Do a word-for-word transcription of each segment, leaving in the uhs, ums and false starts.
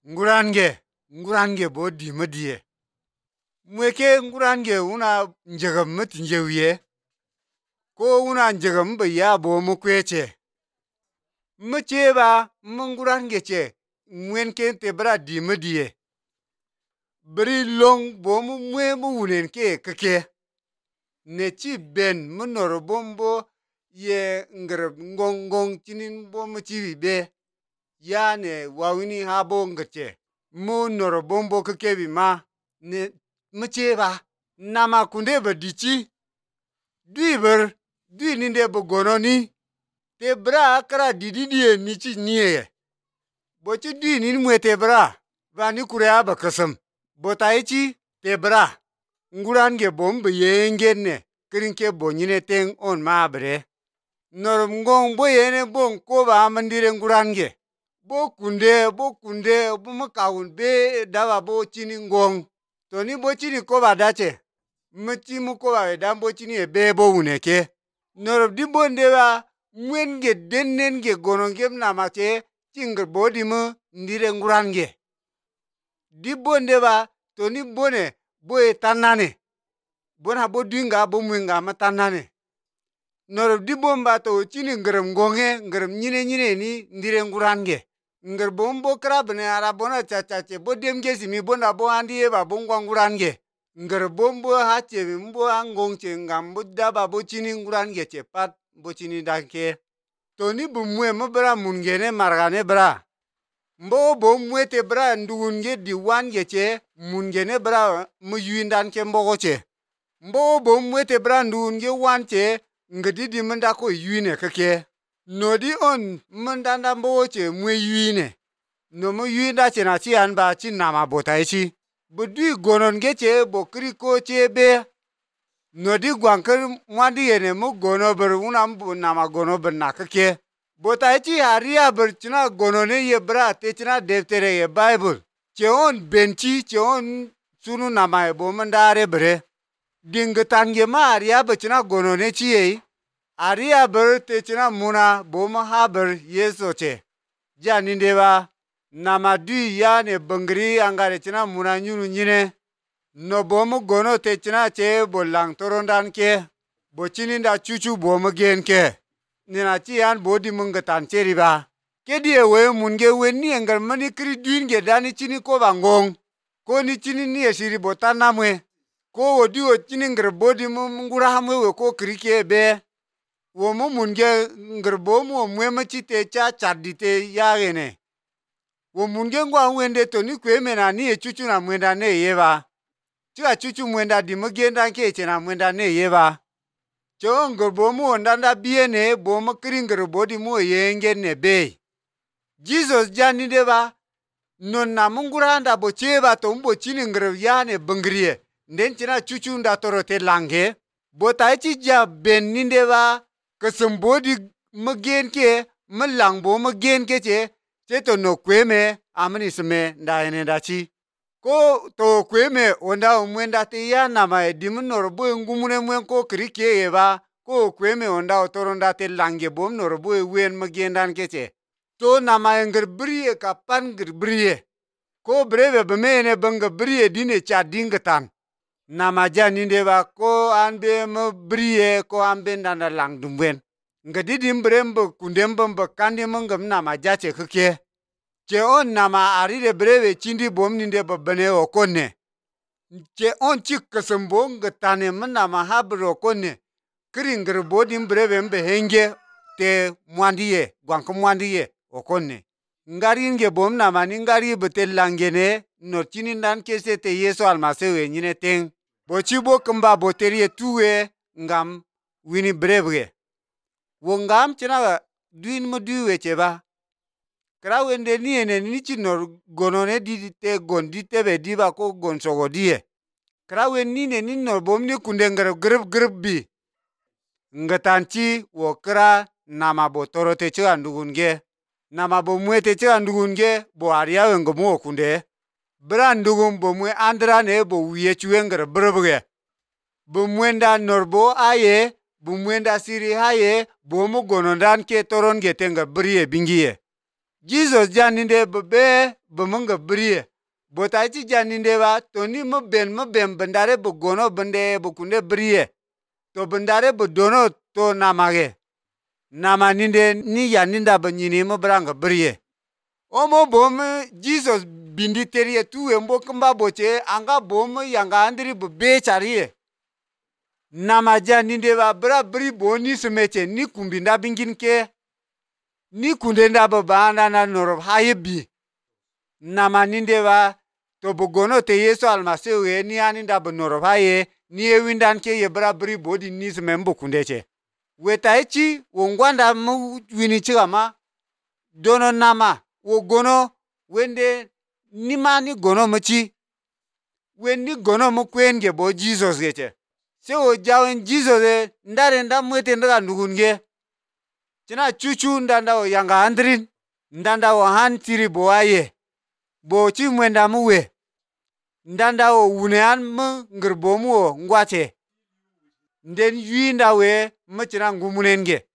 ngurange ngurange bo di madiye mweke ngurange una njegam mut njewiye ko una njegam ba ya bo mu kweche mu che ba mu ngurange che mwenke te bra di madiye bri long bo mu mwe mu wunen ke keke ne chi ben mu nor bombo ye ngrab ngong ngong chinin bo mu chi be ya ne wawini habo ngache mu nor bombo keke bi ma ne mu che ba nama kunde ba dichi dui ber dui ninde bo gononi te bra kra didi die ni chi niye bo chi dui ni mwete bra ba ni kure ba kasam bo tai chi te bra ngurange bom be yengene krinke bo nyine teng on ma bre nor ngong bo yene bon ko ba mandire ngurange bo kunde bo kunde bo makawun be dawa bo chini ngong to ni bo chini ko ba dache mchi mu ko ba dan bo chini e be bo wuneke nor di bonde ba mwenge dennen ge gononge na mache chingr bo di mu ndire ngurange di bonde ba to ni bone bo e tanane bona bo dinga bo mwenga ma tanane nor di bomba to chini ngram ngonge ngram nyine nyine ni ndire ngurange ngar bombo kra bne ara bona cha cha che bo demge simi bona bo andi e ba bo ngurange ngar bombo ha che mbo angong che ngam bo da ba bo chini ngurange che pat bo chini danke to ni bu mwe mo bra mungene margane bra mbo bo mwete bra ndugunge di wange che mungene bra mu yuindan ke mbogo che mbo bo mwete bra ndugunge wanche ngadi di manda ko yuine kake nodi on mandanda mbo che mwe yuine no mu yuinda che na chi an ba chi na ma botai chi bu di gonon ge che bo kri ko che be nodi gwankar mwandi yene mu gono ber unam bu na ma gono ber na kake botai chi aria ber china gonone ye bra te china deftere ye bible che on benchi che on sunu na ma bo mandare bre dingatan ge ma aria ber china gonone chi ye aria ber te china muna bo ma haber yeso che janinde ba nama du ya ne bangri angare china muna nyunu nyine no bo mu gono te china che bo lang torondan ke bo chini da chuchu bo mu gen ke nina chi an bo di mungatan cheri ba ke di we munge we ni engar mani kri duin ge dani chini ko bangong ko ni chini ni esiri bo tanamwe ko odi o chini ngar bo di mu ngura hamwe we ko kri ke be wo mu munge ngar bo mu mwe ma chi te cha chadite ya gene wo munge ngwa wende to ni kwe mena ni e chuchu na mwenda ne yeba chua chuchu mwenda di mugenda ke chena mwenda ne yeba cho ngar bo mu ndanda biene bo mu kri ngar bo di mu yenge ne be Jesus jani deba non na munguranda bo cheba to mbo chini ngar ya ne bangriye nden chena chuchu nda toro te lange bo tai chi ja ben nindeba kasam di magen ke malang bo magen ke che che to no kweme amani sme nda ene da chi ko to kweme onda umwenda te ya na ma di munor bo ngumune mwen ko krike ye ba ko kweme onda toronda te lange bom nor bo wen magen dan ke che to na ma ngir briye ka pan ngir briye ko breve be mene banga briye dine cha dingatan na ma janinde ba ko anbe mo briye ko ambe ndana lang dumwen ngadi dimbrembo kundembo kandi mongam na ma jache khke che on na ma ari de breve chindi bom ninde ba bane okonne che on chik kasambo ngatane mana ma habro konne kringr bodim breve mbe henge te mwandiye gwanko mwandiye okonne ngari nge bom na ma ngari betel langene no chini nan kese te yeso almasewe nyine teng bo chibo kamba boterie tuwe ngam wini breve wo ngam china duin mo duwe cheba kra wende ni ene ni chinor gonone di te gon di tebe di ba ko gon sogo die kra wen ni ne ni nor bom ni kunde ngar grib grib bi ngatanchi wo kra nama bo toro te cha ndugunge nama bo mwete cha ndugunge bo aria wengo mo kunde brandugum bo mwe andra ne bo wiye chuengar bribge bo mwenda norbo aye bu mwenda siri haye bo mu gonondan ke toron ge tenga briye bingiye Jesus janinde be bumunga briye. Bota chi janinde ba to ni mu ben mu ben bendare bu gono bende bu kunde briye. To bendare bu dono to namage. Nama ninde ni yaninda ba nyini mu branga briye. Omo bom Jesus bindi teriye tuwe mbo kumba boche anga bom yanga andri bu bechariye. Nama janinde ba bra bri boni sumeche ni kumbinda bingin ke. Ni kundenda ba bana na norob hayebi. Nama ninde ba to bu gono te Yesu almasihu ye ni aninda bu norob haye ni e windan ke ye bra bri bodi ni sumembo kundeche. Weta echi wongwanda mu wini chigama dono nama wo gono wende nima ni gono muchi wendi gono mu kwenge bo Jesus geche. Se o jawen Jesus e ndare nda mwete ndaga ndugunge. China chuchu ndanda o yanga andrin. Ndanda o han tiri bo aye. Bo chi mwenda muwe. Ndanda o wunean mu ngirbo mu o ngwache. Nden yui nda we mu china ngumunenge.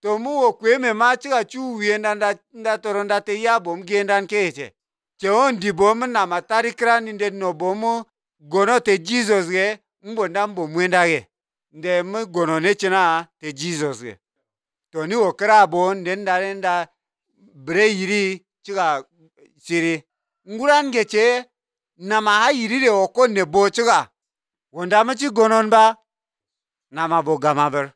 To mu o kweme ma chiga chu uye ndanda nda toronda te ya bom gendan keche. Che on di bom na matari kran inde no bomu gono te Jesus ge mbo ndambo mwenda ge. Nde mu gono ne china te Jesus ge. To ni o kra bon nden ndare nda bre yiri chiga siri. Nguran ge che nama ha yiri de o konne bo chiga. Wonda mu chi gonon ba nama bo gamaber.